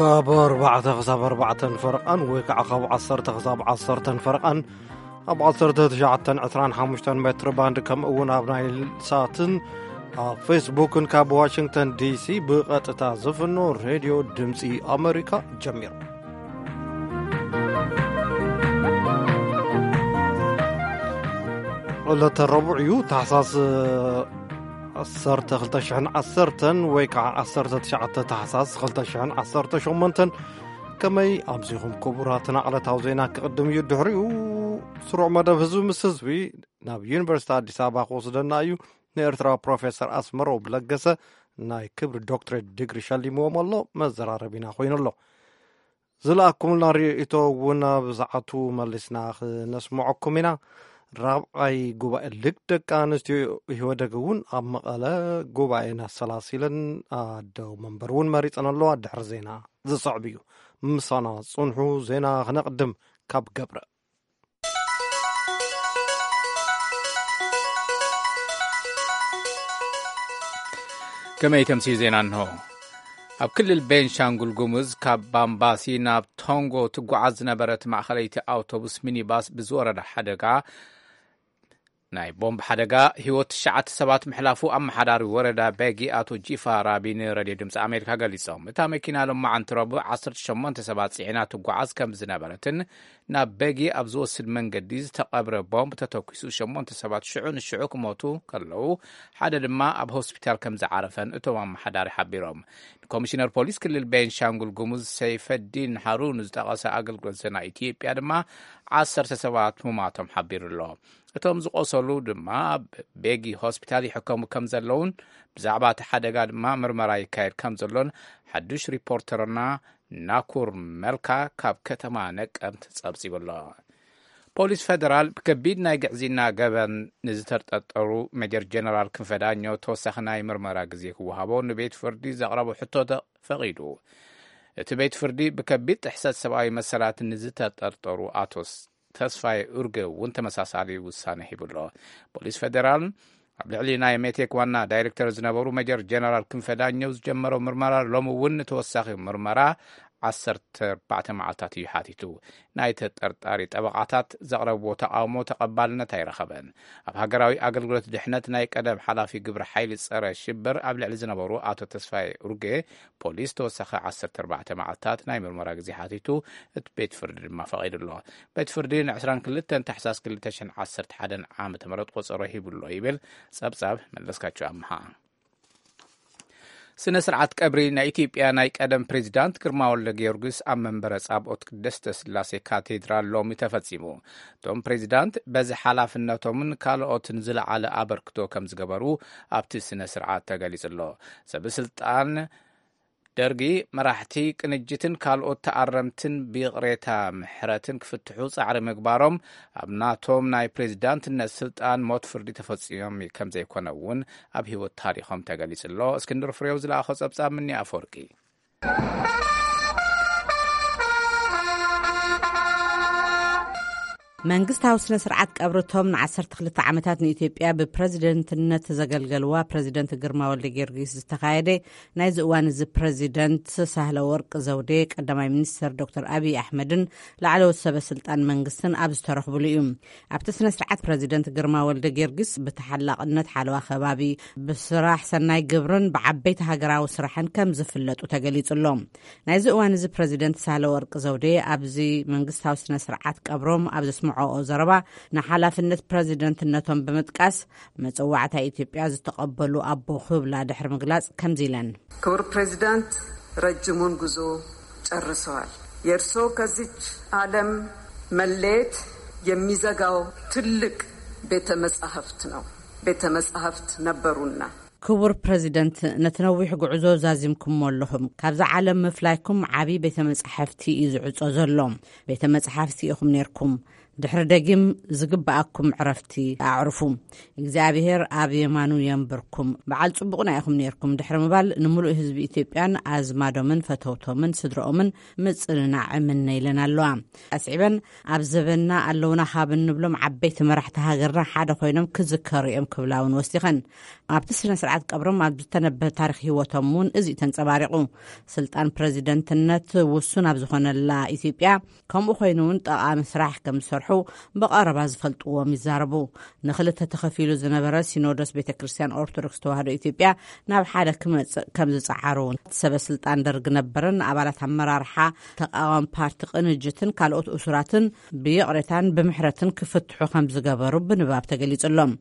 ካብ ኣርባዕተ ክሳብ ኣርባዕተን ፈረቓን ወይ ከዓ ካብ ዓሰርተ ክሳብ ዓሰርተን ፈረቓን ኣብ ዓሰርተ ትሽዓተን ዕስራን ሓሙሽተን ሜትር ባንድ፣ ከምኡ እውን ኣብ ናይል ሳትን ኣብ ፌስቡክን ካብ ዋሽንግተን ዲሲ ብቐጥታ ዝፍኖ ሬድዮ ድምፂ ኣሜሪካ ጀሚሩ። ዕለተ ረቡዕ እዩ፣ ታሕሳስ ዓሰርተ ክልተ ሽሕን ዓሰርተን ወይ ከዓ ዓሰርተ ትሽዓተ ታሕሳስ ክልተ ሽሕን ዓሰርተ ሸሞንተን። ከመይ ኣምሲኹም ክቡራትና? ዕለታዊ ዜና ክቕድም እዩ። ድሕሪኡ ስሩዕ መደብ ህዝቢ ምስ ህዝቢ ናብ ዩኒቨርሲቲ ኣዲስ ኣበባ ክወስደና እዩ። ንኤርትራዊ ፕሮፌሰር ኣስመሮም ለገሰ ናይ ክብሪ ዶክትሬት ዲግሪ ሸሊምዎም ኣሎ። መዘራረቢና ኮይኑ ኣሎ። ዝለኣኩምልና ርእይቶ እውን ኣብ ሰዓቱ መሊስና ክነስምዐኩም ኢና። ራብዓይ ጉባኤ ልግ ደቂ ኣንስትዮ ኢህወደግ እውን ኣብ መቐለ ጉባኤ ኣሰላሲለን ኣደው መንበር እውን መሪፀን ኣለዋ። ድሕሪ ዜና ዝስዕብ እዩ። ምሳና ጽንሑ። ዜና ክነቕድም ካብ ገብረ። ከመይ ተምሲ ዜና እንሆ። ኣብ ክልል ቤንሻንጉል ጉሙዝ ካብ ባምባሲ ናብ ቶንጎ ትጓዓዝ ዝነበረት ማእኸለይቲ ኣውቶቡስ ሚኒባስ ብዝወረዳ ሓደጋ፣ ናይ ቦምብ ሓደጋ ህይወት ትሽዓተ ሰባት ምሕላፉ ኣመሓዳሪ ወረዳ ቤጊ ኣቶ ጂፋ ራቢ ንሬድዮ ድምፂ ኣሜሪካ ገሊፆም። እታ መኪና ሎማዓንቲ ረቡዕ ዓሰርተ ሸሞንተ ሰባት ፅዒና ትጓዓዝ ከም ዝነበረትን ናብ ቤጊ ኣብ ዝወስድ መንገዲ ዝተቐብረ ቦምብ ተተኩሱ ሸሞንተ ሰባት ሽዑ ንሽዑ ክሞቱ ከለዉ፣ ሓደ ድማ ኣብ ሆስፒታል ከም ዝዓረፈን እቶም ኣመሓዳሪ ሓቢሮም። ንኮሚሽነር ፖሊስ ክልል ቤንሻንጉል ጉሙዝ ሰይፈዲን ሃሩን ዝጠቐሰ ኣገልግሎት ዜና ኢትዮጵያ ድማ ዓሰርተ ሰባት ምሟቶም ሓቢሩ ኣሎ። እቶም ዝቆሰሉ ድማ ኣብ ቤጊ ሆስፒታል ይሕከሙ ከም ዘለውን ብዛዕባ እቲ ሓደጋ ድማ ምርመራ ይካየድ ከም ዘሎን ሓዱሽ ሪፖርተርና ናኩር መልካ ካብ ከተማ ነቀምት ጸብጺቡ ኣሎ። ፖሊስ ፌደራል ብከቢድ ናይ ግዕዝይና ገበን ንዝተጠርጠሩ ሜጀር ጀነራል ክንፈ ዳኘው ተወሳኺ ናይ ምርመራ ግዜ ክወሃቦ ንቤት ፍርዲ ዘቕረቦ ሕቶ ተፈቒዱ። እቲ ቤት ፍርዲ ብከቢድ ጥሕሰት ሰብኣዊ መሰላት ንዝተጠርጠሩ ኣቶ ስ-፣ ተስፋዬ ኡርጌ እውን ተመሳሳሊ ውሳነ ሂቡ ኣሎ። ፖሊስ ፌደራል ኣብ ልዕሊ ናይ ሜቴክ ዋና ዳይሬክተር ዝነበሩ ሜጀር ጀነራል ክንፈ ዳኘው ዝጀመረው ምርመራ ሎሚ እውን ንተወሳኺ ምርመራ ዓሰርተ ኣርባዕተ መዓልታት እዩ ሓቲቱ። ናይ ተጠርጣሪ ጠበቓታት ዘቕረብዎ ተቓውሞ ተቐባልነት ኣይረኸበን። ኣብ ሃገራዊ ኣገልግሎት ድሕነት ናይ ቀደም ሓላፊ ግብረ ሓይሊ ጸረ ሽብር ኣብ ልዕሊ ዝነበሩ ኣቶ ተስፋዬ ኡርጌ ፖሊስ ተወሳኺ ዓሰርተ ኣርባዕተ መዓልታት ናይ ምርመራ ግዜ ሓቲቱ፣ እቲ ቤት ፍርዲ ድማ ፈቒዱ ኣሎ። ቤት ፍርዲ ን ዕስራን ክልተን ታሕሳስ ክልተ ሽሕን ዓሰርተ ሓደን ዓመተ ምህረት ቆጸሮ ሂቡ ኣሎ ይብል ጸብጻብ መለስካቸው ኣምሃ። ስነ ስርዓት ቀብሪ ናይ ኢትዮጵያ ናይ ቀደም ፕሬዚዳንት ግርማ ወልደ ጊዮርጊስ ኣብ መንበረ ጻብኦት ቅድስተ ስላሴ ካቴድራል ሎሚ ተፈጺሙ። እቶም ፕሬዚዳንት በዚ ሓላፍነቶምን ካልኦትን ዝለዓለ ኣበርክቶ ከም ዝገበሩ ኣብቲ ስነ ስርዓት ተገሊጹ ኣሎ። ሰበ ስልጣን ደርጊ፣ መራሕቲ ቅንጅትን ካልኦት ተኣረምትን ብይቕሬታ ምሕረትን ክፍትሑ ጻዕሪ ምግባሮም፣ ኣብ ናቶም ናይ ፕሬዚዳንትነት ስልጣን ሞት ፍርዲ ተፈጺሞም ከም ዘይኮነ እውን ኣብ ህይወት ታሪኾም ተገሊጹ ኣሎ። እስክንድር ፍሬው ዝለኣኾ ጸብጻብ ምኒ ኣፈወርቂ። መንግስታዊ ስነ ስርዓት ቀብርቶም ን ዓሰርተ ክልተ ዓመታት ንኢትዮጵያ ብፕረዚደንትነት ዘገልገልዋ ፕረዚደንት ግርማ ወልደ ጊዮርጊስ ዝተኻየደ። ናይዚ እዋን እዚ ፕረዚደንት ሳህለ ወርቅ ዘውዴ፣ ቀዳማይ ሚኒስትር ዶክተር ኣብይ ኣሕመድን ላዕለዎት ሰበ ስልጣን መንግስትን ኣብ ዝተረኽብሉ እዩ። ኣብቲ ስነ ስርዓት ፕረዚደንት ግርማ ወልደ ጊዮርጊስ ብተሓላቕነት ሓለዋ ከባቢ፣ ብስራሕ ሰናይ ግብርን ብዓበይቲ ሃገራዊ ስራሕን ከም ዝፍለጡ ተገሊጹ ኣሎ። ናይዚ እዋን እዚ ፕረዚደንት ሳህለ ወርቅ ዘውዴ ኣብዚ መንግስታዊ ስነ ስርዓት ቀብሮም ኣብ ዘስምዐኦ ዘረባ፣ ንሓላፍነት ፕረዚደንትነቶም ብምጥቃስ፣ መጸዋዕታ ኢትዮጵያ ዝተቐበሉ ኣቦ ክብላ ድሕሪ ምግላጽ ከምዚ ኢለን። ክቡር ፕሬዚዳንት፣ ረጅሙን ጉዞ ጨርሰዋል። የእርሶ ከዚች ዓለም መለየት የሚዘጋው ትልቅ ቤተ መጻሕፍት ነው። ቤተ መጻሕፍት ነበሩና። ክቡር ፕረዚደንት፣ ነቲ ነዊሕ ጉዕዞ ዛዚምኩሞ ኣለኹም። ካብዛ ዓለም ምፍላይኩም ዓቢ ቤተ መጻሕፍቲ እዩ ዝዕጾ ዘሎ። ቤተ መጻሕፍቲ ኢኹም ኔርኩም። ድሕሪ ደጊም ዝግብኣኩም ዕረፍቲ ኣዕርፉ። እግዚኣብሔር ኣብ የማኑ የንብርኩም። በዓል ጽቡቕና ኢኹም ነይርኩም ድሕሪ ምባል፣ ንምሉእ ህዝቢ ኢትዮጵያን ኣዝማዶምን ፈተውቶምን ስድረኦምን ምጽንናዕ እምነ ኢለን ኣለዋ። ኣስዒበን፣ ኣብ ዘበንና ኣለውና ካብ እንብሎም ዓበይቲ መራሕቲ ሃገርና ሓደ ኮይኖም ክዝከሩ እዮም ክብላ እውን ወሲኸን። ኣብቲ ስነ ስርዓት ቀብሮም ኣብ ዝተነበ ታሪኽ ህይወቶም እውን እዚ እዩ ተንጸባሪቑ። ስልጣን ፕረዚደንትነት ውሱን ኣብ ዝኾነላ ኢትዮጵያ፣ ከምኡ ኮይኑ እውን ጠቓሚ ስራሕ ከም ዝሰርሑ ብቐረባ ዝፈልጥዎም ይዛረቡ። ንኽልተ ተኸፊሉ ዝነበረ ሲኖዶስ ቤተ ክርስቲያን ኦርቶዶክስ ተዋህዶ ኢትዮጵያ ናብ ሓደ ክመጽእ ከም ዝጸዓሩ፣ ሰበ ስልጣን ደርግ ነበርን ኣባላት ኣመራርሓ ተቃዋሚ ፓርቲ ቅንጅትን ካልኦት እሱራትን ብይቕሬታን ብምሕረትን ክፍትሑ ከም ዝገበሩ ብንባብ ተገሊጹሎም።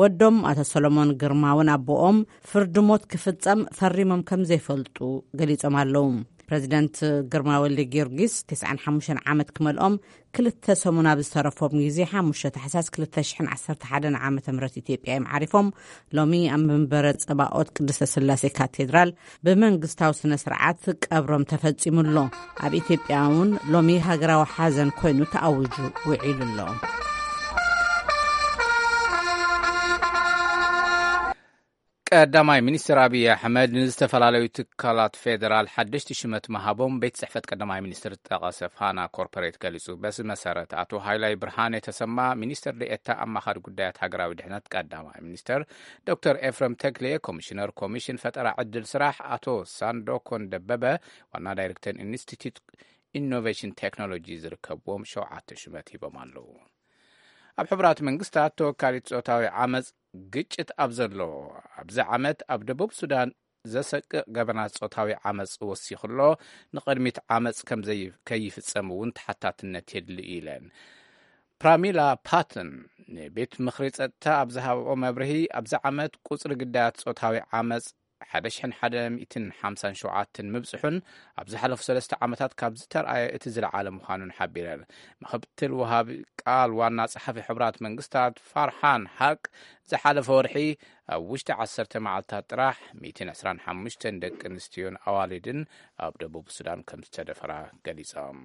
ወዶም ኣቶ ሰሎሞን ግርማ እውን ኣቦኦም ፍርዲ ሞት ክፍጸም ፈሪሞም ከም ዘይፈልጡ ገሊጾም ኣለዉ። ፕረዚደንት ግርማ ወልደ ጊዮርጊስ ተስዓን ሓሙሽተን ዓመት ክመልኦም ክልተ ሰሙን ኣብ ዝተረፎም ግዜ፣ ሓሙሽተ ታሕሳስ ክልተ ሽሕን ዓሰርተ ሓደን ዓመተ ምህረት ኢትዮጵያ እዮም ዓሪፎም። ሎሚ ኣብ መንበረ ጸባኦት ቅድስተ ስላሴ ካቴድራል ብመንግስታዊ ስነ ስርዓት ቀብሮም ተፈጺሙ ኣሎ። ኣብ ኢትዮጵያ እውን ሎሚ ሃገራዊ ሓዘን ኮይኑ ተኣዊጁ ውዒሉ ኣሎ። ቀዳማይ ሚኒስትር ኣብይ ኣሕመድ ንዝተፈላለዩ ትካላት ፌዴራል ሓደሽቲ ሽመት ምሃቦም ቤት ጽሕፈት ቀዳማይ ሚኒስትር ዝጠቐሰ ፋና ኮርፖሬት ገሊጹ። በዚ መሰረት፣ ኣቶ ሃይላይ ብርሃነ ተሰማ ሚኒስትር ዴኤታ ኣማኻሪ ጉዳያት ሃገራዊ ድሕነት ቀዳማይ ሚኒስትር፣ ዶክተር ኤፍረም ተክሌ ኮሚሽነር ኮሚሽን ፈጠራ ዕድል ስራሕ፣ ኣቶ ሳንዶኮን ደበበ ዋና ዳይሬክተር ኢንስቲትዩት ኢኖቬሽን ቴክኖሎጂ ዝርከብዎም ሸውዓተ ሽመት ሂቦም ኣለዉ። ኣብ ሕቡራት መንግስታት ተወካሊት ጾታዊ ዓመጽ ግጭት ኣብ ዘሎ ኣብዚ ዓመት ኣብ ደቡብ ሱዳን ዘሰቅቕ ገበናት ጾታዊ ዓመጽ ወሲኹ ኣሎ። ንቕድሚት ዓመጽ ከም ዘይ-፣ ከይፍጸም እውን ተሓታትነት የድሊ ኢለን። ፕራሚላ ፓተን ንቤት ምኽሪ ጸጥታ ኣብ ዝሃብኦ መብርሂ፣ ኣብዚ ዓመት ቁጽሪ ግዳያት ጾታዊ ዓመጽ ሓደ ሽሕን ሓደ ሚእትን ሓምሳን ሸውዓተን ምብጽሑን ኣብ ዝሓለፉ ሰለስተ ዓመታት ካብ ዝተርኣየ እቲ ዝለዓለ ምዃኑን ሓቢረን። ምክትል ወሃቢ ቃል ዋና ጸሓፊ ሕቡራት መንግስታት ፋርሓን ሓቅ ዝሓለፈ ወርሒ ኣብ ውሽጢ ዓሰርተ መዓልታት ጥራሕ ሚእትን ዕስራን ሓሙሽተን ደቂ ኣንስትዮን ኣዋልድን ኣብ ደቡብ ሱዳን ከም ዝተደፈራ ገሊጾም።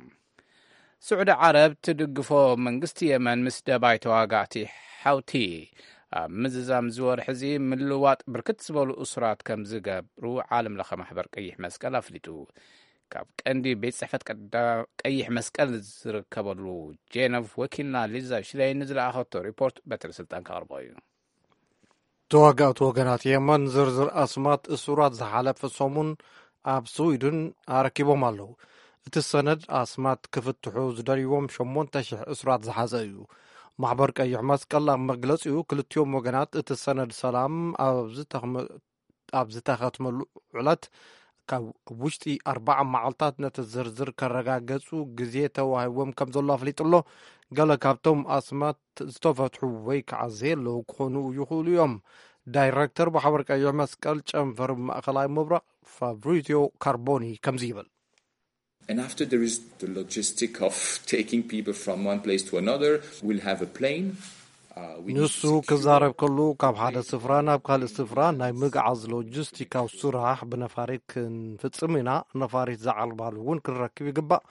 ስዑዲ ዓረብ ትድግፎ መንግስቲ የመን ምስ ደባይ ተዋጋእቲ ሓውቲ ኣብ ምዝዛም ዝወርሒ እዚ ምልዋጥ ብርክት ዝበሉ እሱራት ከም ዝገብሩ ዓለም ለኸ ማሕበር ቀይሕ መስቀል ኣፍሊጡ። ካብ ቀንዲ ቤት ጽሕፈት ቀዳ-፣ ቀይሕ መስቀል ዝርከበሉ ጄነቭ ወኪልና ሊዛ ሽለይን ዝለኣኸቶ ሪፖርት በትሪ ስልጣን ከቕርቦ እዩ። ተዋጋእቲ ወገናት የመን ዝርዝር ኣስማት እሱራት ዝሓለፈ ሰሙን ኣብ ስዊድን ኣረኪቦም ኣለዉ። እቲ ሰነድ ኣስማት ክፍትሑ ዝደልይዎም ሸሞንተ ሽሕ እሱራት ዝሓዘ እዩ። ማሕበር ቀይሕ መስቀል ኣብ መግለጺኡ፣ ክልቲኦም ወገናት እቲ ሰነድ ሰላም ኣብ ዝተኽመ-፣ ኣብ ዝተኸትመሉ ዕለት ካብ ውሽጢ ኣርባዓ መዓልታት ነቲ ዝርዝር ከረጋገጹ ግዜ ተዋሂብዎም ከም ዘሎ ኣፍሊጡ ኣሎ። ገለ ካብቶም ኣስማት ዝተፈትሑ ወይ ከዓ ዘየለዉ ክኾኑ ይኽእሉ እዮም። ዳይሬክተር ማሕበር ቀይሕ መስቀል ጨንፈር ማእኸላይ ምብራቕ ፋብሪዚዮ ካርቦኒ ከምዚ ይብል። And after there is the logistic of taking people from one place to another, we'll have a plane. Uh, we need ንሱ to secure ክዛረብ ከሉ፣ ካብ ሓደ ስፍራ ናብ ካልእ ስፍራ ናይ ምግዓዝ ሎጂስቲካዊ ስራሕ ብነፋሪት ክንፍጽም ኢና። ነፋሪት ዝዓልባሉ እውን ክንረክብ ይግባእ።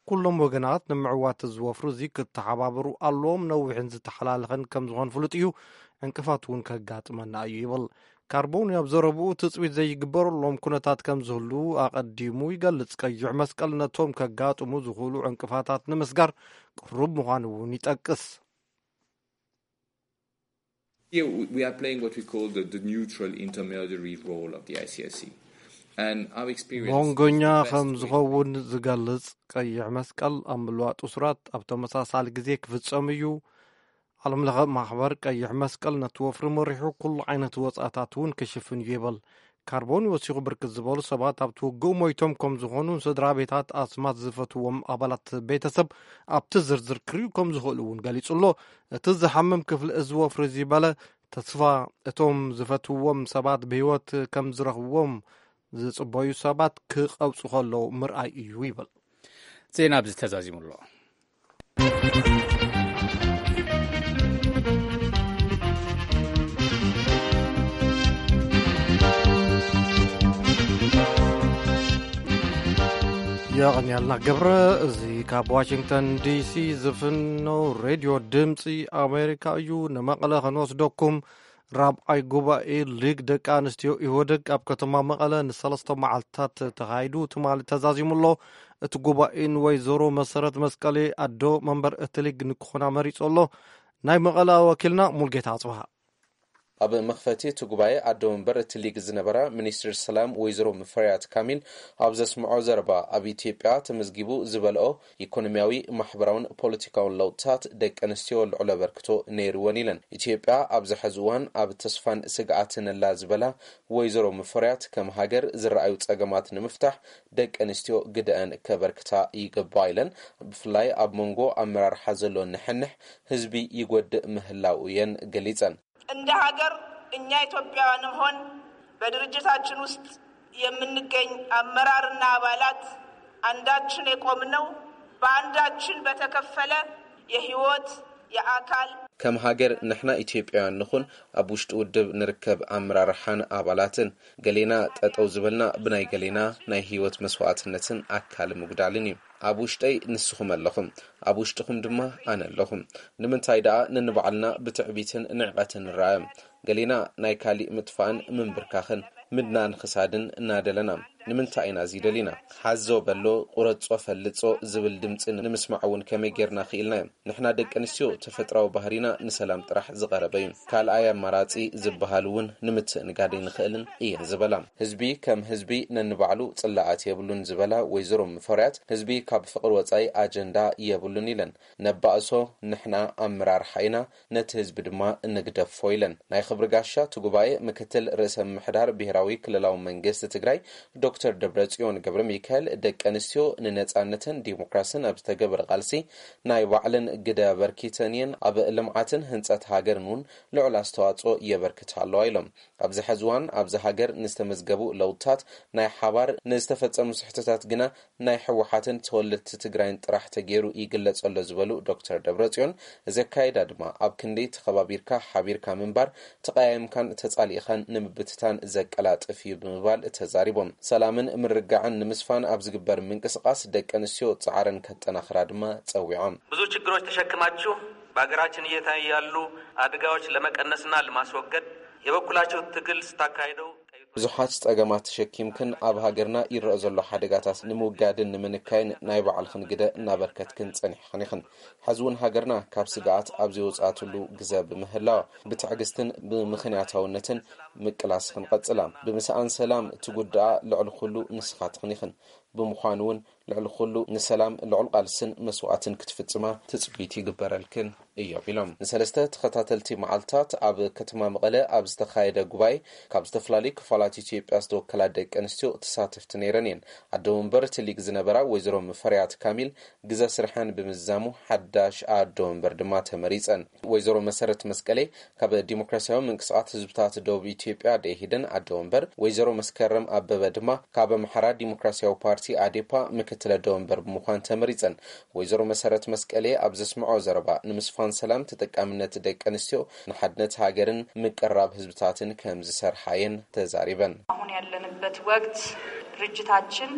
ኩሎም ወገናት ንምዕዋት ዝወፍሩ እዚ ክተሓባበሩ ኣለዎም። ነዊሕን ዝተሓላለኸን ከም ዝኾን ፍሉጥ እዩ። ዕንቅፋት እውን ከጋጥመና እዩ ይብል። ካርቦኒ ኣብ ዘረብኡ ትጽቢት ዘይግበረሎም ኩነታት ከም ዝህሉ ኣቐዲሙ ይገልጽ። ቀይሕ መስቀል ነቶም ከጋጥሙ ዝኽእሉ ዕንቅፋታት ንምስጋር ቅሩብ ምዃኑ እውን ይጠቅስ። Here we, we are playing what we call the, the neutral intermediary role of the I C R C. And our experience መንጎኛ is the best ከም way ዝኸውን ዝገልጽ ቀይሕ መስቀል፣ ኣብ ምልዋጥ እሱራት ኣብ ተመሳሳሊ ግዜ ክፍጸም እዩ። ዓለም ለኸ ማሕበር ቀይሕ መስቀል ነቲ ወፍሪ መሪሑ ኩሉ ዓይነት ወጻእታት እውን ክሽፍን እዩ ይብል። ካርቦኒ ወሲኹ፣ ብርክት ዝበሉ ሰባት ኣብቲ ውግእ ሞይቶም ከም ዝኾኑ፣ ስድራ ቤታት ኣስማት ዝፈትዎም ኣባላት ቤተሰብ ኣብቲ ዝርዝር ክርእዩ ከም ዝኽእሉ እውን ገሊጹ ኣሎ። እቲ ዝሓምም ክፍሊ እዚ ወፍሪ እዚ በለ፣ ተስፋ እቶም ዝፈትዎም ሰባት ብህይወት ከም ዝረኽብዎም ዝጽበዩ ሰባት ክቐብጹ ከለዉ ምርኣይ እዩ ይብል። ዜና ኣብዚ ተዛዚሙ ኣሎ። የቐንያልና ገብረ። እዚ ካብ ዋሽንግተን ዲሲ ዝፍነው ሬድዮ ድምፂ ኣሜሪካ እዩ። ንመቐለ ክንወስደኩም። ራብዓይ ጉባኤ ሊግ ደቂ ኣንስትዮ ኢህወደግ ኣብ ከተማ መቐለ ንሰለስተ መዓልትታት ተኻይዱ ትማሊ ተዛዚሙ ኣሎ። እቲ ጉባኤ ንወይዘሮ መሰረት መስቀሌ ኣዶ መንበር እቲ ሊግ ንክኾና መሪጹ ኣሎ። ናይ መቐለ ወኪልና ሙልጌታ ኣጽብሃ። ኣብ መኽፈቲ እቲ ጉባኤ ኣዶ መንበር እቲ ሊግ ዝነበራ ሚኒስትር ሰላም ወይዘሮ ሙፈሪያት ካሚል ኣብ ዘስምዖ ዘረባ፣ ኣብ ኢትዮጵያ ተመዝጊቡ ዝበልኦ ኢኮኖሚያዊ፣ ማሕበራውን ፖለቲካውን ለውጥታት ደቂ ኣንስትዮ ልዑል ኣበርክቶ ነይርወን ኢለን። ኢትዮጵያ ኣብዚ ሕዚ እዋን ኣብ ተስፋን ስግኣትን ኣላ ዝበላ ወይዘሮ ሙፈሪያት፣ ከም ሃገር ዝረኣዩ ጸገማት ንምፍታሕ ደቂ ኣንስትዮ ግደአን ከበርክታ ይግባእ ኢለን። ብፍላይ ኣብ መንጎ ኣመራርሓ ዘሎ ንሕንሕ ህዝቢ ይጎድእ ምህላው እየን ገሊጸን። እንደ ሀገር እኛ ኢትዮጵያውያንም ሆን በድርጅታችን ውስጥ የምንገኝ አመራርና አባላት አንዳችን የቆምነው በአንዳችን በተከፈለ የህይወት፣ የአካል ከም ሃገር ንሕና ኢትዮጵያውያን ንኹን ኣብ ውሽጢ ውድብ ንርከብ ኣመራርሓን ኣባላትን፣ ገሌና ጠጠው ዝበልና ብናይ ገሌና ናይ ህይወት መስዋዕትነትን ኣካል ምጉዳልን እዩ። ኣብ ውሽጠይ ንስኹም ኣለኹም፣ ኣብ ውሽጥኹም ድማ ኣነ ኣለኹም። ንምንታይ ደኣ ነንባዕልና ብትዕቢትን ንዕቐትን ንረኣዮም? ገሌና ናይ ካሊእ ምጥፋእን ምንብርካኽን ምድናን ክሳድን እናደለና ንምንታይ ኢና እዚ ደሊና? ሓዞ በሎ፣ ቁረጾ ፈልጾ ዝብል ድምጺ ንምስማዕ እውን ከመይ ጌርና ክኢልናዮ? ንሕና ደቂ ኣንስትዮ ተፈጥራዊ ባህሪና ንሰላም ጥራሕ ዝቐረበ እዩ። ካልኣይ ኣማራጺ ዝበሃል እውን ንምትእንጋድ ኣይንኽእልን እየን ዝበላ። ህዝቢ ከም ህዝቢ ነንባዕሉ ጽላኣት የብሉን ዝበላ ወይዘሮ ሙፈሪያት፣ ህዝቢ ካብ ፍቕሪ ወጻኢ ኣጀንዳ የብሉን ኢለን። ነባእሶ ንሕና ኣመራርሓ ኢና፣ ነቲ ህዝቢ ድማ እንግደፎ ኢለን። ናይ ክብሪ ጋሻ እቲ ጉባኤ ምክትል ርእሰ ምምሕዳር ብሔራዊ ክልላዊ መንግስቲ ትግራይ ዶክተር ደብረጽዮን ገብረ ሚካኤል፣ ደቂ ኣንስትዮ ንነጻነትን ዲሞክራስን ኣብ ዝተገበረ ቃልሲ ናይ ባዕለን ግደ ኣበርኪተን እየን፣ ኣብ ልምዓትን ህንጸት ሃገርን እውን ልዑል ኣስተዋጽኦ የበርክታ ኣለዋ ኢሎም። ኣብዚ ሕዚ እዋን ኣብዚ ሃገር ንዝተመዝገቡ ለውጥታት ናይ ሓባር፣ ንዝተፈጸሙ ስሕተታት ግና ናይ ህወሓትን ተወለድቲ ትግራይን ጥራሕ ተገይሩ ይግለጽ ኣሎ ዝበሉ ዶክተር ደብረጽዮን፣ እዚ ኣካይዳ ድማ ኣብ ክንዲ ተኸባቢርካ ሓቢርካ ምንባር፣ ተቐያይምካን ተጻሊእኻን ንምብትታን ዘቀላጥፍ እዩ ብምባል ተዛሪቦም። ሰላምን ምርግጋዕን ንምስፋን ኣብ ዝግበር ምንቅስቓስ ደቂ ኣንስትዮ ጻዕረን ከጠናኽራ ድማ ጸዊዖም። ብዙ ችግሮች ተሸክማችሁ በሀገራችን እየታዩ ያሉ አደጋዎች ለመቀነስና ለማስወገድ የበኩላችሁ ትግል ስታካሂደው ብዙሓት ጸገማት ተሸኪምክን ኣብ ሃገርና ይረኣ ዘሎ ሓደጋታት ንምውጋድን ንምንካይን ናይ ባዕልኽን ግደ እናበርከትክን ጸኒሕኽን ኢኽን። ሕዚ እውን ሃገርና ካብ ስግኣት ኣብ ዘይወጽኣትሉ ግዘ ብምህላዋ፣ ብትዕግስትን ብምኽንያታውነትን ምቅላስኽን ቀጽላ። ብምስኣን ሰላም ትጉድኣ ልዕሊ ኩሉ ንስኻትኽን ኢኽን። ብምዃኑ እውን ልዕሊ ኩሉ ንሰላም ልዑል ቃልስን መስዋእትን ክትፍጽማ ትጽቢት ይግበረልክን እዮም ኢሎም። ንሰለስተ ተኸታተልቲ መዓልታት ኣብ ከተማ መቐለ ኣብ ዝተኻየደ ጉባኤ ካብ ዝተፈላለዩ ክፋላት ኢትዮጵያ ዝተወከላ ደቂ ኣንስትዮ ተሳተፍቲ ነይረን እየን። ኣደ ወንበር እቲ ሊግ ዝነበራ ወይዘሮ ሙፈሪያት ካሚል ግዘ ስርሐን ብምዝዛሙ ሓዳሽ ኣደ ወንበር ድማ ተመሪጸን። ወይዘሮ መሰረት መስቀሌ ካብ ዲሞክራሲያዊ ምንቅስቓስ ህዝብታት ደቡብ ኢትዮጵያ ደኢህዴን ኣደ ወንበር፣ ወይዘሮ መስከረም ኣበበ ድማ ካብ ኣምሓራ ዲሞክራሲያዊ ፓርቲ ኣዴፓ ምክትል ኣደ ወንበር ብምዃን ተመሪጸን። ወይዘሮ መሰረት መስቀሌ ኣብ ዘስምዖ ዘረባ፣ ንምስፋን ሰላም፣ ተጠቃምነት ደቂ ኣንስትዮ፣ ንሓድነት ሃገርን ምቅርራብ ህዝብታትን ከም ዝሰርሓ እየን ተዛሪበን። አሁን ያለንበት ወቅት ድርጅታችን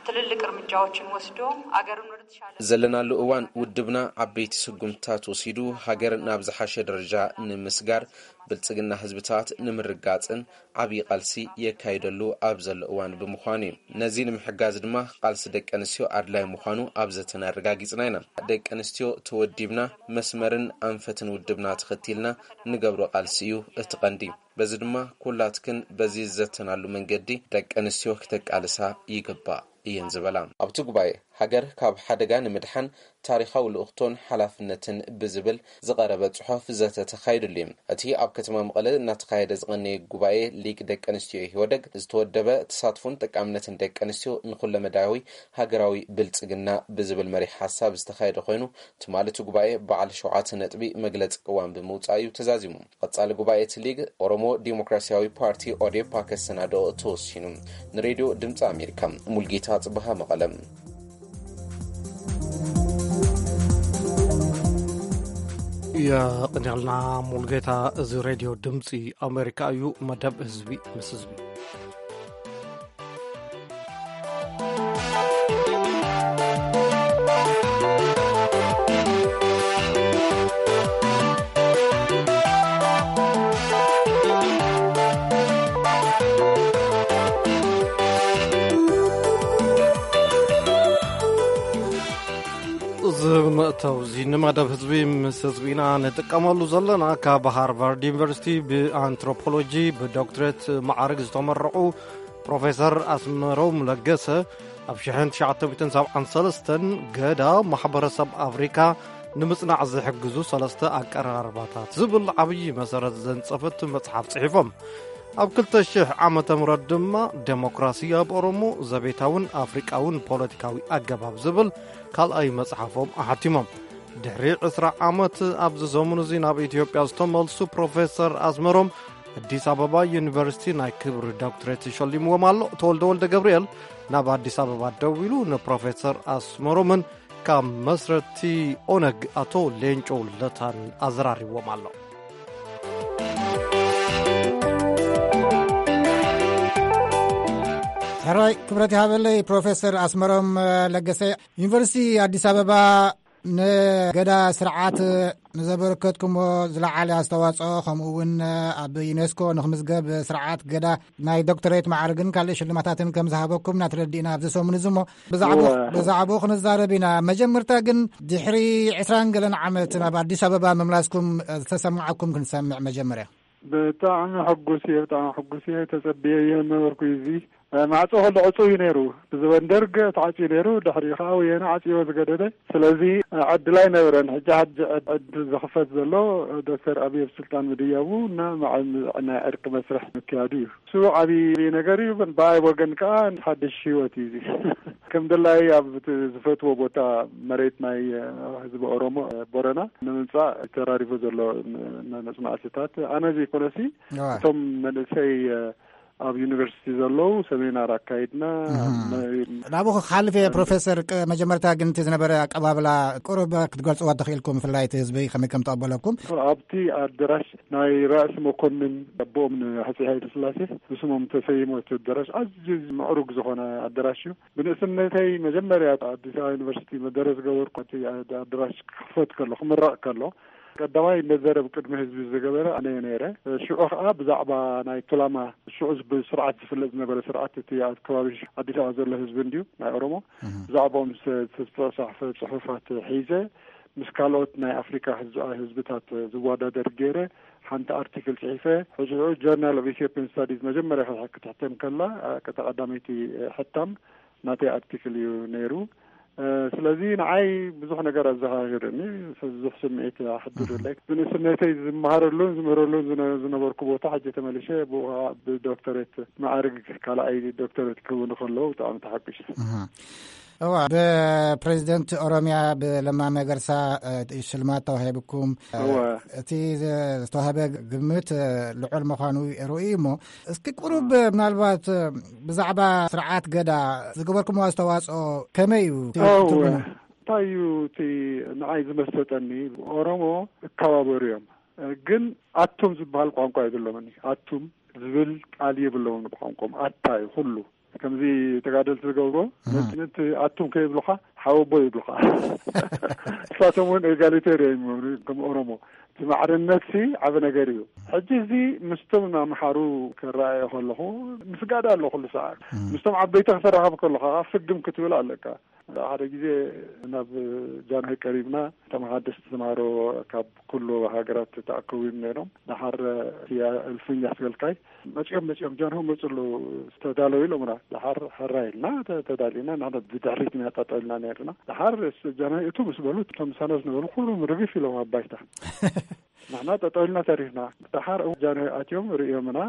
ትልልቅ እርምጃዎችን ወስዶ አገርን ወደ ተሻለ ዘለናሉ እዋን ውድብና ዓበይቲ ስጉምትታት ወሲዱ ሃገር ናብ ዝሓሸ ደረጃ ንምስጋር፣ ብልጽግና ህዝብታት ንምርጋጽን ዓብዪ ቃልሲ የካይደሉ ኣብ ዘሎ እዋን ብምዃኑ እዩ። ነዚ ንምሕጋዝ ድማ ቃልሲ ደቂ ኣንስትዮ ኣድላይ ምዃኑ ኣብ ዘተና ኣረጋጊጽና ኢና። ደቂ ኣንስትዮ ተወዲብና መስመርን ኣንፈትን ውድብና ተኸቲልና ንገብሮ ቃልሲ እዩ እቲ ቀንዲ። በዚ ድማ ኩላትክን በዚ ዝዘተናሉ መንገዲ ደቂ ኣንስትዮ ክተቃልሳ ይግባእ እየን ዝበላ። ኣብቲ ጉባኤ ሃገር ካብ ሓደጋ ንምድሓን ታሪኻዊ ልኡኽቶን ሓላፍነትን ብዝብል ዝቐረበ ጽሑፍ ዘተ ተኻይዱሉ እዩ። እቲ ኣብ ከተማ መቐለ እናተኻየደ ዝቐነየ ጉባኤ ሊግ ደቂ ኣንስትዮ ኢህወደግ ዝተወደበ ተሳትፎን ጠቃምነትን ደቂ ኣንስትዮ ንኹለመዳያዊ ሃገራዊ ብልጽግና ብዝብል መሪሕ ሓሳብ ዝተኻየደ ኮይኑ፣ ትማሊ እቲ ጉባኤ በዓል ሸውዓተ ነጥቢ መግለጺ ቅዋም ብምውጻእ እዩ ተዛዚሙ። ቀጻሊ ጉባኤ እቲ ሊግ ኦሮሞ ዲሞክራሲያዊ ፓርቲ ኦዴፓ ከሰናድኦ ተወሲኑ። ንሬድዮ ድምፂ ኣሜሪካ ሙልጌታ ጽበሃ መቐለ። የቕንያልና ሙልጌታ። እዚ ሬድዮ ድምፂ ኣሜሪካ እዩ። መደብ ህዝቢ ምስ ህዝቢ። እተውዚ ንመደብ ህዝቢ ምስ ህዝቢና ንጥቀመሉ ዘለና ካብ ሃርቫርድ ዩኒቨርሲቲ ብኣንትሮፖሎጂ ብዶክትሬት ማዕርግ ዝተመረቑ ፕሮፌሰር ኣስመሮም ለገሰ ኣብ ሽሕን ትሽዓተ ሚእትን ሰብዓን ሰለስተን ገዳ ማሕበረሰብ ኣፍሪካ ንምጽናዕ ዝሕግዙ ሰለስተ ኣቀራርባታት ዝብል ዓብዪ መሰረት ዘንጸፈት መጽሓፍ ጽሒፎም። ኣብ ክልተ ሽሕ ዓመተ ምህረት ድማ ደሞክራሲ ኣብ ኦሮሞ ዘቤታውን ኣፍሪቃውን ፖለቲካዊ ኣገባብ ዝብል ካልኣይ መጽሓፎም ኣሓቲሞም። ድሕሪ ዕስራ ዓመት ኣብዚ ሰሙን እዚ ናብ ኢትዮጵያ ዝተመልሱ ፕሮፌሰር ኣስመሮም ኣዲስ ኣበባ ዩኒቨርሲቲ ናይ ክብሪ ዶክትሬት ሸሊምዎም ኣሎ። ተወልደ ወልደ ገብርኤል ናብ ኣዲስ ኣበባ ደዊሉ ንፕሮፌሰር ኣስመሮምን ካብ መስረቲ ኦነግ ኣቶ ሌንጮ ለታን ኣዘራሪብዎም ኣሎ። ሕራይ ክብረት ይሃበለይ ፕሮፌሰር ኣስመሮም ለገሰ፣ ዩኒቨርሲቲ ኣዲስ ኣበባ ንገዳ ስርዓት ንዘበረከትኩሞ ዝለዓለ ኣስተዋፅኦ፣ ከምኡ እውን ኣብ ዩኔስኮ ንክምዝገብ ስርዓት ገዳ ናይ ዶክተሬት ማዕርግን ካልእ ሽልማታትን ከም ዝሃበኩም እናተረዲእና ኣብዚ ሰሙን እዚ እሞ ብዛዕባ እወ። ብዛዕባኡ ክንዛረብ ኢና። መጀመርታ ግን ድሕሪ ዕስራን ገለን ዓመት ናብ ኣዲስ ኣበባ ምምላስኩም ዝተሰማዓኩም ክንሰምዕ መጀመርያ። ብጣዕሚ ሕጉስ እየ፣ ብጣዕሚ ሕጉስ እየ። ተጸብየዮ ነበርኩ እዚ። ማዕጾ ከሎ ዕጹው እዩ ነይሩ። ብዘበን ደርግ ተዓጽዩ ነይሩ። ድሕሪኡ ከኣ ወያነ ዓጽዮ ዝገደደ። ስለዚ ዕድል ኣይነበረን። ሕጂ ሓድሽ ዕድ-፣ ዕድል ዝኽፈት ዘሎ ዶክተር ኣብይ ኣብ ስልጣን ምድያቡ እና መዓ-፣ ናይ ዕርቂ መስርሕ ምክያዱ እዩ። እሱ ዓብዪ ነገር እዩ። ብኣይ ወገን ከኣ ሓድሽ ህይወት እዩ እዚ። ከም ደላይ ኣብ እቲ ዝፈትዎ ቦታ መሬት ናይ ህዝቢ ኦሮሞ ቦረና ንምምጻእ ተራሪፉ ዘሎ ን-፣ ን-፣ መጽናዕትታት ኣነ ዘይኮነሲ እዋ። እቶም መንእሰይ ኣብ ዩኒቨርሲቲ ዘለዉ ሰሚናር ኣካይድና። እህ። መ-፣ ናብኡ ክሓልፍ እየ ፕሮፌሰር፣ ቅ-፣ መጀመርታ ግን እቲ ዝነበረ ኣቀባብላ ቁሩብ ክትገልጽዎ ተኽኢልኩም፣ ብፍላይ እቲ ህዝቢ ከመይ ከም ተቐበለኩም? ኣብቲ ኣደራሽ ናይ ራእሲ መኮንን ኣቦኦም ንሃፀይ ሃይለ ስላሴ ብስሞም ተሰይሞ እቲ ኣደራሽ ኣዝዩ ምዕሩግ ዝኾነ ኣደራሽ እዩ። ብንእስነተይ መጀመርያ ኣዲስ ኣበባ ዩኒቨርሲቲ መደረ ዝገበርኩ እቲ ኣደራሽ ክኽፈት ከሎ፣ ክምረቕ ከሎ፣ ቀዳማይ መዘረብ ቅድሚ ህዝቢ ዝገበረ ኣነ እየ ነይረ። ሽዑ ኸዓ ብዛዕባ ናይ ቱላማ፣ ሽዑ ዝብ-፣ ስርዓት ዝፍለጥ ዝነበረ ስርዓት፣ እቲ ኣብ ከባቢ ኣዲስ ኣበባ ዘሎ ህዝቢ እንድዩ፣ ናይ ኦሮሞ፣ እህ። ብዛዕባኦም ስ-፣ ዝተጻሕፈ ጽሑፋት ሒዘ፣ ምስ ካልኦት ናይ ኣፍሪካ ህዝ-፣ ህዝብታት ዝወዳደር ገይረ፣ ሓንቲ ኣርቲክል ጽሒፈ። ሕጂ ሽዑ ጆርናል ኦፍ ኢትዮጵያን ስታዲዝ መጀመርያ ክትሕ-፣ ክትሕተም ከላ፣ አ፣ ቀዳመይቲ ሕታም ናተይ ኣርቲክል እዩ ነይሩ። እ፣ ስለዚ ንዓይ ብዙሕ ነገር ኣዘኻኺሩኒ፣ ብዙሕ ስምዒት ኣሕዲሩለይ። እህ። ብንእስነተይ ዝመሃረሉን ዝምህረሉን ዝነ-፣ ዝነበርኩ ቦታ ሕጂ ተመሊሸ ብኡ ኸዓ ብዶክተሬት ማዕርግ ካልኣይ ዶክተሬት ክህቡኒ ከለዉ ብጣዕሚ ተሓጒሰ። እህ። እዋ፣ ብፕሬዚደንት ኦሮሚያ ብለማ መገርሳ፣ እ፣ ሽልማት ተዋሂብኩም። እወ። እቲ ዘ-፣ ዝተዋህበ ግምት፣ እ፣ ልዑል ምዃኑ ርኡይ እሞ፣ እስኪ ቁሩብ ምናልባት ብዛዕባ ስርዓት ገዳ ዝገበርኩሞ ኣስተዋፅኦ ከመይ እዩ? እወ። ትብሉ? እንታይ እዩ እቲ ንዓይ ዝመሰጠኒ? ኦሮሞ እከባበሩ እዮም፣ ግን ኣቱም ዝበሃል ቋንቋ የብሎምን። ኣቱም ዝብል ቃል የብሎምን ብቋንቋም። ኣታ እዩ ኩሉ። ከምዚ ተጋደልቲ ዝገብርዎ፣ እህ። ነቲ ኣቱም ከይብሉኻ ሓወቦ ይብሉኻ። እሳቶም እውን ኤጋሊቴር እዮም ይብሉ፣ ከም ኦሮሞ። እቲ ማዕርነትሲ ዓቢ ነገር እዩ። ሕጂ እዚ ምስቶም ኣምሓሩ ክረኣዮ ከለኹ ምስጋድ ኣሎ ኩሉ ሰዓት። እህ። ምስቶም ዓበይቲ ክተራኸብ ከለኻ ፍግም ክትብል ኣለካ። ሓደ ግዜ ናብ ጃንሆይ ቀሪብና፣ እቶም ሓደስቲ ተምሃሮ ካብ ኩሉ ሃገራት ተኣከቡ እዮም ነይሮም። ደሓር እቲ እልፍኝ ኣስገልካይ መጺኦም፣ መጺኦም ጃንሆይ መጹ ኣለዉ፣ ተዳለዉ ኢሎምና። ደሓር ሕራይ ኢልና ተ-፣ ተዳሊና፣ ንሕና ብድሕሪት ኢና ጠጠው ኢልና ነይርና። ደሓር እስ-፣ ጃንሆይ እቱ ምስ በሉ፣ እቶም ምሳና ዝነበሩ ኩሎም ርግፍ ኢሎም ኣብ ባይታ። ንሕና ጠጠው ኢልና ተሪፍና። ደሓር ጃንሆይ ኣትዮም ርእዮምና፣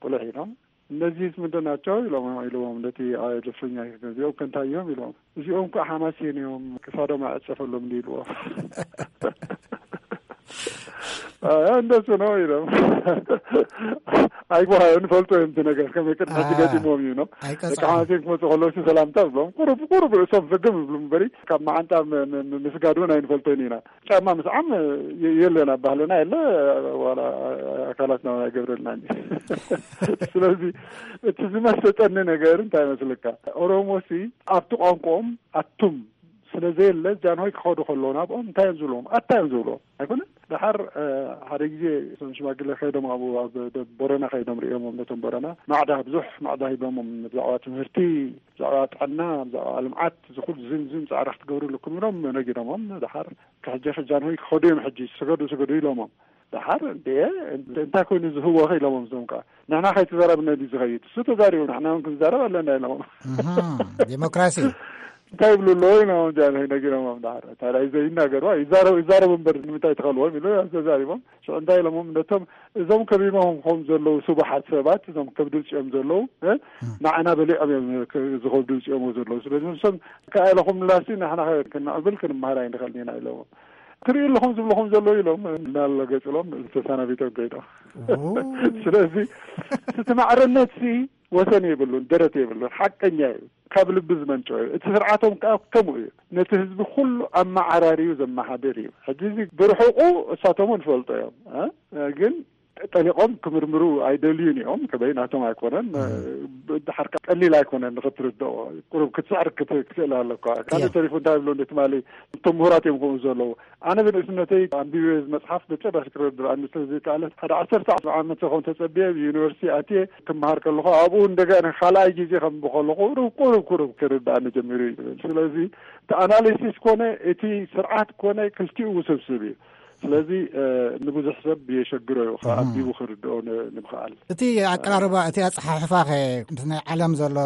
ቁልሕ ኢሎም። እነዚህስ ምንድን ናቸው? ኢሎም፣ ኢልዎም ነቲ፣ አ፣ ልፍኛ እዚኦም ከ እንታይ እዮም? ኢሎም። እዚኦም እኮ ሓማሴን እዮም፣ ክሳዶም ኣይዕጸፈሎም እንዲ ኢልዎም። አ፣ እንደሱ ነው ኢሎም። ኣይጓሃዮን፣ ፈልጦ እዮም እቲ ነገር፣ ከመይ ቅድሚ ሕጂ አ፣ ገጢሞም እዩ ነው። ኣይቀጽዖም። ደቂ ሓማሴን ክመጹ ከለዉ ሰላምታ ዝብሎም፣ ቁሩብ፣ ቁሩብ ርእሶም ፈገም ይብሉ እምበሪ፣ ካብ መዓንጣ ም-፣ ም-፣ ም-፣ ምስጋድ እውን ኣይንፈልጦን ኢና። ጫማ ምስዓም የ-፣ የለን፣ ኣብ ባህልና የለ፣ ዋላ ኣካላትና ኣይገብረልናን። ስለዚ እቲ ዝመሰጠኒ ነገር እንታይ መስለካ? ኦሮሞሲ ኣብቲ ቋንቋኦም ኣቱም ስለ ዘየለ፣ ጃንሆይ ክኸዱ ከለዉ ናብኦም እንታይ እዮም ዝብልዎም? ኣታ እዮም ዝብልዎም። ኣይኮነን? ደሓር ሓደ ግዜ እቶም ሽማግሌ ከይዶም ኣብኡ ኣብ ቦረና ከይዶም ርእዮሞም፣ ነቶም ቦረና ማዕዳ፣ ብዙሕ ማዕዳ ሂቦሞም፣ ብዛዕባ ትምህርቲ፣ ብዛዕባ ጥዕና፣ ብዛዕባ ልምዓት፣ ዝኹሉ ዝምዝም ፃዕሪ ክትገብሩ ኣለኩም ኢሎም ነጊሮሞም። ደሓር ከሕጂ ጃንሆይ ክኸዱ እዮም፣ ሕጂ ስገዱ ስገዱ ኢሎሞም። ደሓር እንደ እንታይ ኮይኑ ዝህወኸ ኢሎሞም፣ እዞም ከዓ ንሕና ከይተዛረብና ድዩ ዝኸይድ፣ እሱ ተዛሪቡ ንሕና እውን ክንዛረብ ኣለና ኢሎሞም። ዲሞክራሲ እንታይ ይብሉ ኣለዉ ኢሎም ጃንሆይ ነጊሮሞም። ደሓር ታዲያ ዘይናገሩ ይዛረቡ፣ ይዛረቡ እምበር ንምንታይ ትኸልዎም ኢሉ ተዛሪቦም። ሽዑ እንታይ ኢሎሞም፣ ነቶም እዞም ከቢቦም ከም ዘለዉ ስቡሓት ሰባት፣ እዞም ከብዲ ውፅኦም ዘለዉ ንዓና በሊዖም እዮም ዝኸብዲ ውፅኦም ዘለዉ። ስለዚ ንሶም ከኣለኹም ምላሲ ንሕና ክንዕብል ክንመሃር ኣይንኽእልን ኢና ኢሎሞም። ትሪኡ ኣለኹም ዝብልኹም ዘለዉ ኢሎም እናለገፅሎም ተሰናቢቶም ከይዶም። ስለዚ እቲ ማዕርነት ሲ ወሰን የብሉን፣ ደረት የብሉን። ሓቀኛ እዩ፣ ካብ ልቢ ዝመንጨ እዩ። እቲ ስርዓቶም ከዓ ከምኡ እዩ። ነቲ ህዝቢ ኩሉ ኣመዓራርዩ ዘመሓድር እዩ። ሕጂ እዚ ብርሑቁ እሳቶም ንፈልጦ እዮም፣ ግን ጠሊቆም ክምርምሩ ኣይደልዩን እዮም። ከበይ ናቶም ኣይኮነን። ድሓር ቀሊል ኣይኮነን ንክትርድኦ፣ ቁሩብ ክትስዕር ክትክእል ኣለካ። ካልእ ተሪፉ እንታይ ይብሎ እንደ ትማሊ፣ እቶም ምሁራት እዮም ከምኡ ዘለዉ። ኣነ ብንእስነተይ ኣንቢበ መፅሓፍ ብጭራሽ ክረድኣኒ ስለዘይከኣለ ሓደ ዓሰርተ ዓመት ከም ተፀብየ ዩኒቨርሲቲ ኣትየ ክመሃር ከለኹ ኣብኡ እንደገና ካልኣይ ግዜ ከም ከለኹ ቁሩብ ቁሩብ ክርድኣኒ ጀሚሩ እዩ ዝብል። ስለዚ እቲ ኣናሊሲስ ኮነ እቲ ስርዓት ኮነ ክልቲኡ ውስብስብ እዩ። ስለዚ ንብዙሕ ሰብ የሸግሮ እዩ ከኣቢቡ ክርድኦ ንምኽኣል። እቲ ኣቀራርባ እቲ ኣፀሓሕፋኸ ምስ ናይ ዓለም ዘሎ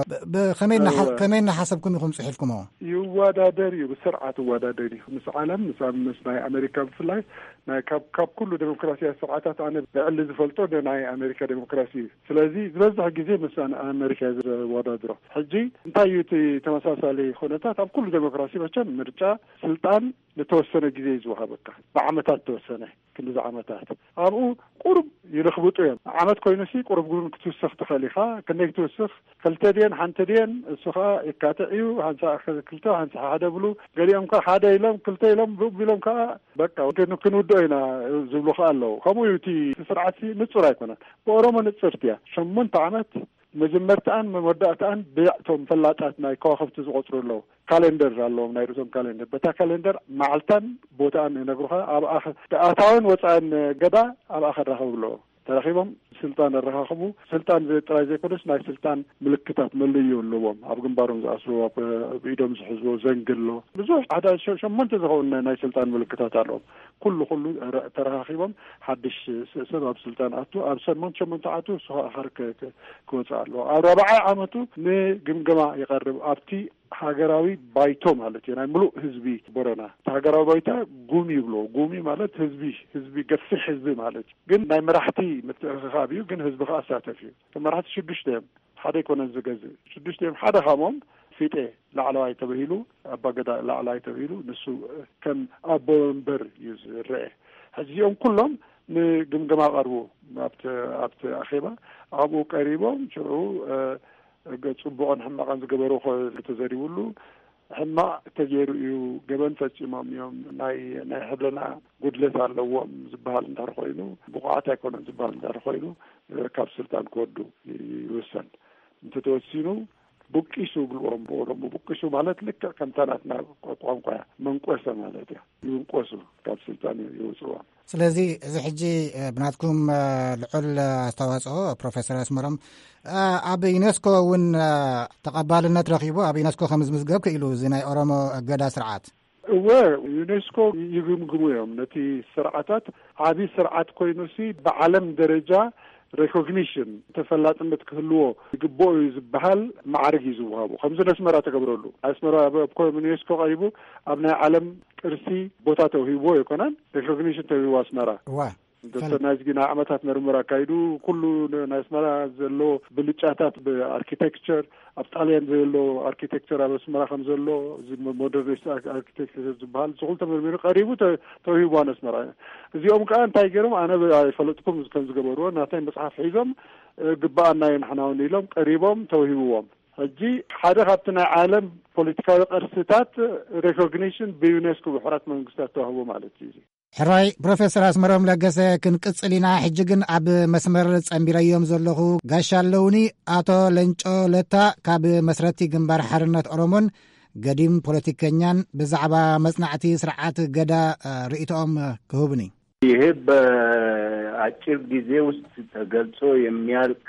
ከመይ እናሓሰብኩም ኢኹም ፅሒፍኩሞ? ይወዳደር እዩ፣ ብስርዓት ይወዳደር እዩ ምስ ዓለም፣ ምስ ምስ ናይ ኣሜሪካ ብፍላይ ናይ ካብ ኩሉ ዴሞክራሲያዊ ስርዓታት ኣነ ብዕሊ ዝፈልጦ ናይ ኣሜሪካ ዴሞክራሲ እዩ። ስለዚ ዝበዝሕ ግዜ ምስ ኣሜሪካ ዝወዳድሮ። ሕጂ እንታይ እዩ እቲ ተመሳሳሊ ኩነታት? ኣብ ኩሉ ዴሞክራሲ መቸም ምርጫ ስልጣን ንተወሰነ ግዜ እዩ ዝወሃበካ፣ ብዓመታት ተወሰነ ክንዲ ዓመታት ኣብኡ ቁሩብ ይልኽብጡ እዮም። ዓመት ኮይኑ ሲ ቁሩብ ግን ክትውስኽ ትኽእል ኢኻ። ክንደይ ክትውስኽ? ክልተ ድየን ሓንቲ ድየን? እሱ ኸዓ የካትዕ እዩ። ሓንሳ ክልተ ሓንሳ ሓደ ብሉ። ገሊኦም ከ ሓደ ኢሎም ክልተ ኢሎም ብኡ ቢሎም ከኣ በቃ ክንውድኦ ኢና ዝብሉ ከኣ ኣለዉ። ከምኡ እዩ እቲ ስርዓት ንጹር ኣይኮነን። ብኦሮሞ ንጽርቲ እያ። ሸሞንተ ዓመት መጀመርታኣን መወዳእታኣን ብያዕቶም ፈላጣት ናይ ከዋኽብቲ ዝቆጽሩ ኣለዉ። ካሌንደር ኣለዎም፣ ናይ ርእሶም ካሌንደር። በታ ካሌንደር መዓልታን ቦታኣን ይነግሩኻ። ኣብ ኣታውን ወፃእን ገዳ ኣብኣ ከራኸቡ ኣለዎም። ተራኺቦም ስልጣን ኣረኻኽቡ። ስልጣን ጥራይ ዘይኮነስ ናይ ስልጣን ምልክታት መለዮ ኣለዎም። ኣብ ግንባሮም ዝኣስርዎ፣ ኣብ ኢዶም ዝሕዝዎ ዘንግ ኣሎ። ብዙሕ ሓደ ሸሞንተ ዝኸውን ናይ ስልጣን ምልክታት ኣለዎም። ኩሉ ኩሉ ተረኻኺቦም ሓድሽ ሰብ ኣብ ስልጣን ኣቱ ኣብ ሰሞንት ሸሞንተ ዓቱ ስኻ ኣኸር ክወፅእ ኣለዎ። ኣብ ራብዓይ ዓመቱ ንግምገማ ይቐርብ ኣብቲ ሃገራዊ ባይቶ ማለት እዩ፣ ናይ ምሉእ ህዝቢ ቦረና። እቲ ሃገራዊ ባይታ ጉሚ ይብሎ። ጉሚ ማለት ህዝቢ፣ ህዝቢ፣ ገፊሕ ህዝቢ ማለት እዩ። ግን ናይ መራሕቲ ምትእኽኻብ እዩ፣ ግን ህዝቢ ከኣሳተፍ እዩ። መራሕቲ ሽዱሽተ እዮም፣ ሓደ ኣይኮነን ዝገዝእ። ሽዱሽተ እዮም፣ ሓደ ካብኦም ፊጤ ላዕለዋይ ተበሂሉ፣ ኣባገዳ ላዕለዋይ ተበሂሉ፣ ንሱ ከም ኣቦ ወንበር እዩ ዝረአ። ሕዚ እዚኦም ኩሎም ንግምገማ ቀርቡ ኣብቲ ኣብቲ ኣኼባ ኣብኡ ቀሪቦም ሽዑ ጽቡቕን ሕማቕን ዝገበሩ ተዘሪብሉ። ሕማቕ ተገይሩ እዩ፣ ገበን ፈጺሞም እዮም፣ ናይ ናይ ሕልና ጉድለት ኣለዎም ዝበሃል እንድሕር ኮይኑ፣ ብቑዓት ኣይኮነን ዝበሃል እንድሕር ኮይኑ፣ ካብ ስልጣን ክወርዱ ይውሰን። እንተተወሲኑ ቡቂሱ ይብልዎም ብኦሮሞ። ቡቂሱ ማለት ልክዕ ከምታ ናትና ቋንቋ እያ፣ መንቆሰ ማለት እያ። ይንቆሱ፣ ካብ ስልጣን ይውፅዎም። ስለዚ እዚ ሕጂ ብናትኩም ልዑል ኣስተዋፅኦ ፕሮፌሰር ኣስመሮም ኣብ ዩኔስኮ እውን ተቐባልነት ረኺቡ ኣብ ዩኔስኮ ከም ዝምዝገብ ክኢሉ እዚ ናይ ኦሮሞ እገዳ ስርዓት። እወ፣ ዩኔስኮ ይግምግሙ እዮም ነቲ ስርዓታት። ዓብዪ ስርዓት ኮይኑሲ ብዓለም ደረጃ ሬኮግኒሽን፣ ተፈላጥነት ክህልዎ ይግብኦ እዩ ዝበሃል ማዕርግ እዩ ዝወሃቡ። ከምዚ ነስመራ ተገብረሉ። ኣስመራ ኣብ ኮም ዩኔስኮ ቀሪቡ ኣብ ናይ ዓለም ቅርሲ ቦታ ተውሂብዎ ኣይኮነን፣ ሬኮግኒሽን ተውሂቡ ኣስመራ። እዋ። ዶክተር ናዝጊ ናይ ዓመታት ምርምር ኣካይዱ፣ ኩሉ ናይ ኣስመራ ዘሎ ብልጫታት ብኣርኪቴክቸር፣ ኣብ ጣልያን ዘሎ ኣርኪቴክቸር ኣብ ኣስመራ ከም ዘሎ፣ እዚ ሞደርኒስት ኣርኪቴክቸር ዝበሃል ዝኹሉ ተመርሚሩ ቀሪቡ ተውሂቡ ኣስመራ። እዚኦም ከዓ እንታይ ገይሮም? ኣነ ኣይፈለጥኩም ከም ዝገበርዎ፣ ናተይ መፅሓፍ ሒዞም ግባኣና እዩ ንሕና እውን ኢሎም ቀሪቦም ተውሂብዎም። ሕጂ ሓደ ካብቲ ናይ ዓለም ፖለቲካዊ ቅርስታት ሬኮግኒሽን ብዩኔስኮ ብሕራት መንግስታት ተዋህቦ ማለት እዩ። ሕራይ ፕሮፌሰር ኣስመሮም ለገሰ፣ ክንቅጽል ኢና። ሕጂ ግን ኣብ መስመር ጸንቢረዮም ዘለኹ ጋሻ ኣለውኒ፣ ኣቶ ለንጮ ለታ ካብ መስረቲ ግንባር ሓርነት ኦሮሞን ገዲም ፖለቲከኛን፣ ብዛዕባ መጽናዕቲ ስርዓት ገዳ ርእይቶኦም ክህቡኒ። ይሄ በአጭር ጊዜ ውስጥ ተገልጾ የሚያልቅ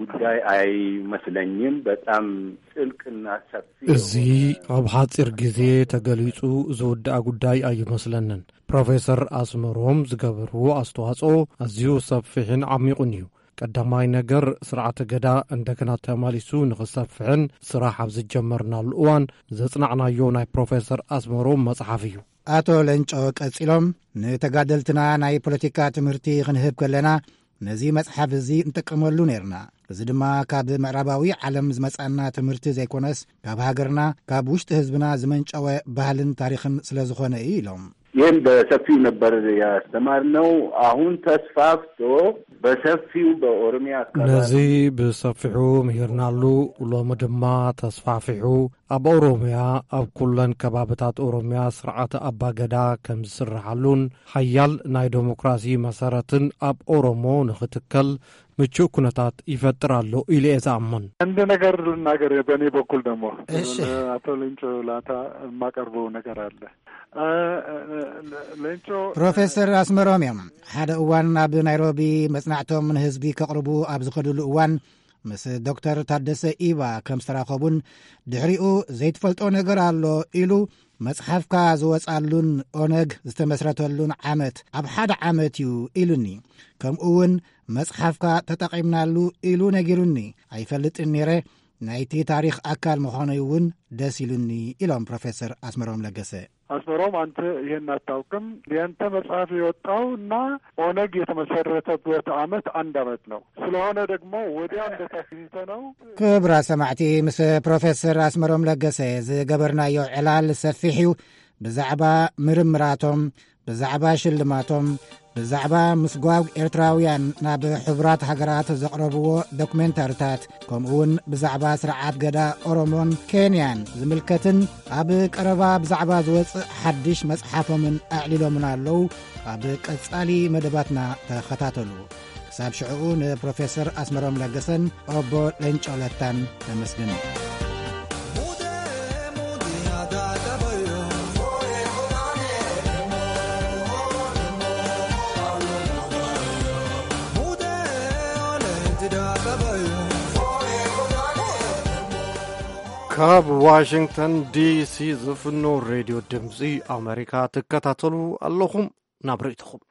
ጉዳይ አይመስለኝም። በጣም ጥልቅና ሰፊ እዚ የሆነ ኣብ ሓጺር ግዜ ተገሊጹ ዝውዳእ ጉዳይ ኣይመስለንን። ፕሮፌሰር ኣስመሮም ዝገበርዎ ኣስተዋጽኦ ኣዝዩ ሰፊሕን ዓሚቑን እዩ። ቀዳማይ ነገር፣ ስርዓተ ገዳ እንደገና ተማሊሱ ንኽሰፍሕን ስራሕ ኣብ ዝጀመርናሉ እዋን ዘጽናዕናዮ ናይ ፕሮፌሰር ኣስመሮም መጽሓፍ እዩ። ኣቶ ለንጮ ቀጺሎም፣ ንተጋደልትና ናይ ፖለቲካ ትምህርቲ ክንህብ ከለና ነዚ መጽሓፍ እዚ ንጥቀመሉ ነይርና። እዚ ድማ ካብ ምዕራባዊ ዓለም ዝመጻና ትምህርቲ ዘይኮነስ፣ ካብ ሃገርና፣ ካብ ውሽጢ ህዝብና ዝመንጨወ ባህልን ታሪኽን ስለ ዝኾነ እዩ ኢሎም። ይህን በሰፊው ነበር ያስተማርነው። አሁን ተስፋፍቶ በሰፊው በኦሮሚያ አካባቢ ነዚ ብሰፊሑ ምሂርናሉ። ሎሚ ድማ ተስፋፊሑ ኣብ ኦሮሚያ፣ ኣብ ኩለን ከባብታት ኦሮሚያ ስርዓተ ኣባገዳ ከም ዝስርሓሉን ሓያል ናይ ዴሞክራሲ መሰረትን ኣብ ኦሮሞ ንኽትከል ምቹእ ኩነታት ይፈጥር ኣሎ ኢለ እየ ዝኣምን። አንድ ነገር ልናገር በእኔ በኩል ደግሞ እሺ። አቶ ሌንጮ ላታ የማቀርበው ነገር አለ። ሌንጮ ፕሮፌሰር ኣስመሮም እዮም። ሓደ እዋን ኣብ ናይሮቢ መጽናዕቶም ንህዝቢ ከቕርቡ ኣብ ዝኸድሉ እዋን ምስ ዶክተር ታደሰ ኢባ ከም ዝተራኸቡን ድሕሪኡ ዘይትፈልጦ ነገር ኣሎ ኢሉ መጽሓፍካ ዝወጻሉን ኦነግ ዝተመስረተሉን ዓመት ኣብ ሓደ ዓመት እዩ ኢሉኒ። ከምኡ እውን መጽሓፍካ ተጠቒምናሉ ኢሉ ነጊሩኒ። ኣይፈልጥን ነይረ። ናይቲ ታሪኽ ኣካል ምዃነይ እውን ደስ ኢሉኒ ኢሎም ፕሮፌሰር ኣስመሮም ለገሰ። አስመሮም አንተ ይሄን አታውቅም። ያንተ መጽሐፍ የወጣው እና ኦነግ የተመሰረተበት አመት አንድ አመት ነው። ስለሆነ ደግሞ ወዲያ እንደታስይተ ነው። ክቡራት ሰማዕቲ፣ ምስ ፕሮፌሰር ኣስመሮም ለገሰ ዝገበርናዮ ዕላል ሰፊሕ እዩ። ብዛዕባ ምርምራቶም፣ ብዛዕባ ሽልማቶም፣ ብዛዕባ ምስጓግ ኤርትራውያን ናብ ሕቡራት ሃገራት ዘቕረብዎ ዶክሜንታርታት፣ ከምኡውን ብዛዕባ ስርዓት ገዳ ኦሮሞን ኬንያን ዝምልከትን ኣብ ቀረባ ብዛዕባ ዝወጽእ ሓድሽ መጽሓፎምን ኣዕሊሎምን ኣለዉ። ኣብ ቀጻሊ መደባትና ተኸታተሉ። ክሳብ ሽዕኡ ንፕሮፌሰር ኣስመሮም ለገሰን ኦቦ ሌንጮ ለታን ተመስግን። ካብ ዋሽንግተን ዲሲ ዝፍኖ ሬድዮ ድምፂ ኣሜሪካ ትከታተሉ ኣለኹም። ናብ ርእይቶኹም።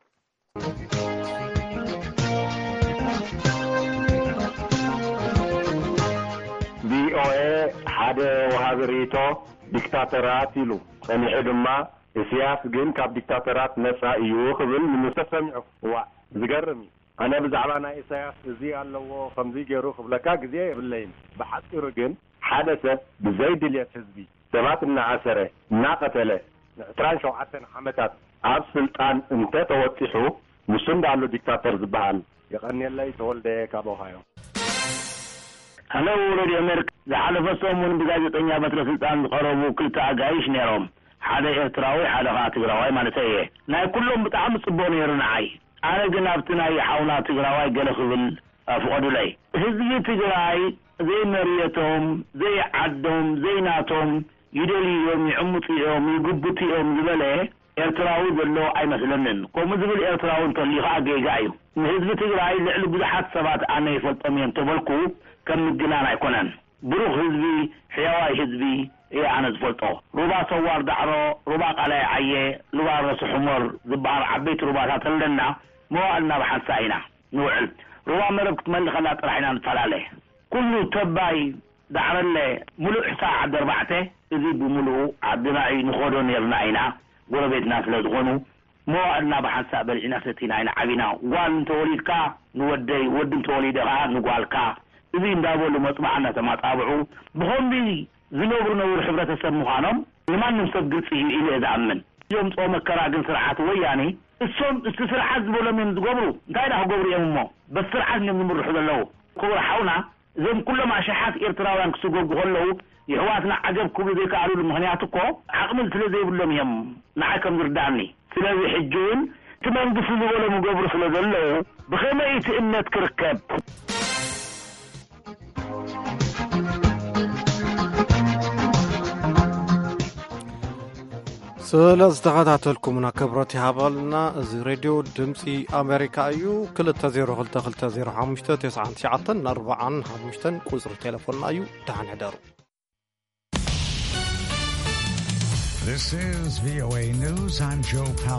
ቪኦኤ ሓደ ወሃቢ ርእይቶ ዲክታተራት ኢሉ ጸኒሑ ድማ፣ ኢሳያስ ግን ካብ ዲክታተራት ነጻ እዩ ክብል ንምስ ተሰሚዑ። እዋእ፣ ዝገርም እዩ። ኣነ ብዛዕባ ናይ ኢሳያስ እዚ ኣለዎ ከምዚ ገይሩ ክብለካ ግዜ የብለይን። ብሓጺሩ ግን ሓደ ሰብ ብዘይ ድልየት ህዝቢ ሰባት እናኣሰረ፣ እናቐተለ፣ ንዕስራን ሸውዓተን ዓመታት ኣብ ስልጣን እንተ ተወጢሑ፣ ንሱ እንዳኣሉ ዲክታተር ዝበሃል። የቐንየለይ ተወልደ ካብ ኦሃዮ። ሃለው ሬድዮ ኣሜሪካ፣ ዝሓለፈ ሰሙን ብጋዜጠኛ በትረ ስልጣን ዝቐረቡ ክልተ ኣጋይሽ ነይሮም። ሓደ ኤርትራዊ፣ ሓደ ኸዓ ትግራዋይ ማለተይ እየ። ናይ ኩሎም ብጣዕሚ ጽቡቕ ነይሩ ንዓይ። ኣነ ግን ኣብቲ ናይ ሓውና ትግራዋይ ገለ ክብል ፍቐዱለይ። ህዝቢ ትግራይ ዘይመርየቶም፣ ዘይዓዶም፣ ዘይናቶም ይደልዩ እዮም፣ ይዕምፁ እዮም፣ ይግብቱ እዮም ዝበለ ኤርትራዊ ዘሎ ኣይመስለንን። ከምኡ ዝብል ኤርትራዊ እንተልዩ ኸዓ ጌጋ እዩ። ንህዝቢ ትግራይ ልዕሊ ብዙሓት ሰባት ኣነ ይፈልጦም እየ እንተበልኩ ከም ምግናን ኣይኮነን። ብሩኽ ህዝቢ፣ ሕያዋይ ህዝቢ እየ ኣነ ዝፈልጦ። ሩባ ሰዋር ዳዕሮ፣ ሩባ ቃላይ ዓየ፣ ሩባ ረሱ ሕሞር ዝበሃል ዓበይቲ ሩባታት ኣለና። መዋእልና ብሓንሳእ ኢና ንውዕል። ሩባ መረብ ክትመልእ ከላ ጥራሕ ኢና ንፈላለ። ኩሉ ተባይ ዳዕረለ፣ ሙሉእ ሕሳእ ዓዲ ኣርባዕተ፣ እዚ ብምሉኡ ዓድና እዩ፣ ንኸዶ ነይርና ኢና፣ ጎረቤትና ስለ ዝኾኑ። መዋእልና ብሓንሳእ በሊዕና ሰቲና ኢና ዓቢና። ጓል እንተወሊድካ ንወደይ፣ ወዲ እንተወሊደ ኸዓ ንጓልካ። እዚ እንዳበሉ መፅባዓ እናተማፃብዑ ብኸምዚ ዝነብሩ ነብሩ ሕብረተሰብ ምዃኖም ንማንም ሰብ ግልፂ እዩ ኢለ እየ ዝኣምን። እዞም ፀው መከራ ግን ስርዓት ወያኔ እሶም እቲ ስርዓት ዝበሎም እዮም ዝገብሩ። እንታይ ዳ ክገብሩ እዮም እሞ? በቲ ስርዓት እዮም ዝምርሑ ዘለዉ። ክቡር ሓውና፣ እዞም ኩሎም ኣሽሓት ኤርትራውያን ክስጎጉ ከለዉ የሕዋትና ዓገብ ክብሉ ዘይከኣሉሉ ምኽንያት እኮ ዓቕሚ ስለ ዘይብሎም እዮም ንዓይ ከም ዝርድኣኒ። ስለዚ ሕጂ እውን እቲ መንግስቲ ዝበሎም ይገብሩ ስለ ዘለዉ ብኸመይ እቲ እምነት ክርከብ? ስለ ዝተኸታተልኩምና ክብረት ይሃበልና። እዚ ሬድዮ ድምፂ ኣሜሪካ እዩ። ክልተ ዜሮ ክልተ ክልተ ዜሮ ሓሙሽተ ተስዓን ትሽዓተን ኣርባዓን ሓሙሽተን ቁፅሪ ቴሌፎንና እዩ። ደሓን ሕደሩ። This is V O A News. I'm Joe Palca.